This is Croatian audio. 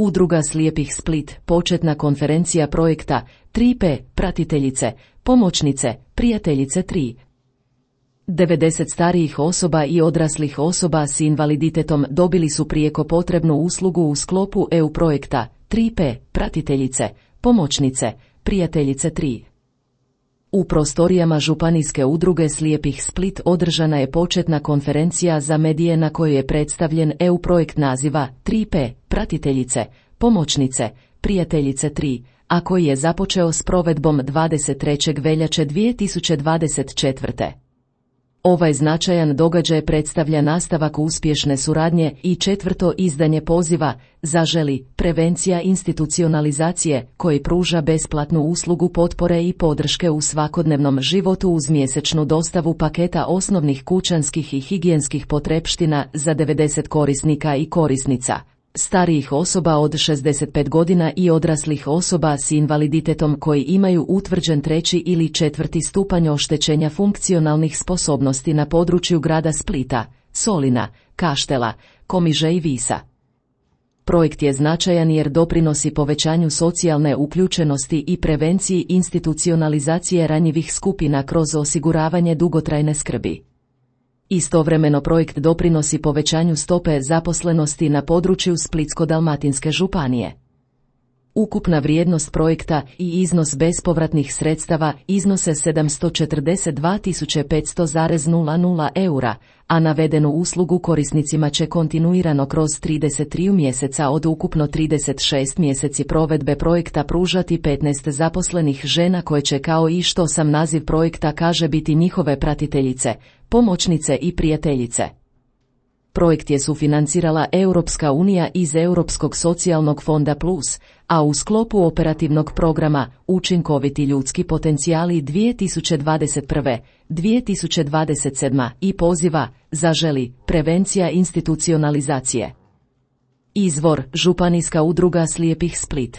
Udruga slijepih Split, početna konferencija projekta 3P, pratiteljice, pomoćnice, prijateljice 3. 90 starijih osoba i odraslih osoba s invaliditetom dobili su prijeko potrebnu uslugu u sklopu EU projekta 3P, pratiteljice, pomoćnice, prijateljice 3. U prostorijama Županijske udruge slijepih Split održana je početna konferencija za medije na kojoj je predstavljen EU projekt naziva 3P, pratiteljice, pomoćnice, prijateljice 3, a koji je započeo s provedbom 23. veljače 2024. Ovaj značajan događaj predstavlja nastavak uspješne suradnje i 4. izdanje poziva Zaželi, prevencija institucionalizacije, koji pruža besplatnu uslugu potpore i podrške u svakodnevnom životu uz mjesečnu dostavu paketa osnovnih kućanskih i higijenskih potrepština za 90 korisnika i korisnica, starijih osoba od 65 godina i odraslih osoba s invaliditetom koji imaju utvrđen 3. ili 4. stupanj oštećenja funkcionalnih sposobnosti na području grada Splita, Solina, Kaštela, Komiže i Visa. Projekt je značajan jer doprinosi povećanju socijalne uključenosti i prevenciji institucionalizacije ranjivih skupina kroz osiguravanje dugotrajne skrbi. Istovremeno projekt doprinosi povećanju stope zaposlenosti na području Splitsko-dalmatinske županije. Ukupna vrijednost projekta i iznos bespovratnih sredstava iznose 742.500,00 eura, a navedenu uslugu korisnicima će kontinuirano kroz 33 mjeseca od ukupno 36 mjeseci provedbe projekta pružati 15 zaposlenih žena koje će, kao i što sam naziv projekta kaže, biti njihove pratiteljice, pomoćnice i prijateljice. Projekt je sufinancirala Europska unija iz Europskog socijalnog fonda Plus, a u sklopu operativnog programa Učinkoviti ljudski potencijali 2021-2027 i poziva Zaželi, prevencija institucionalizacije. Izvor: Županijska udruga slijepih Split.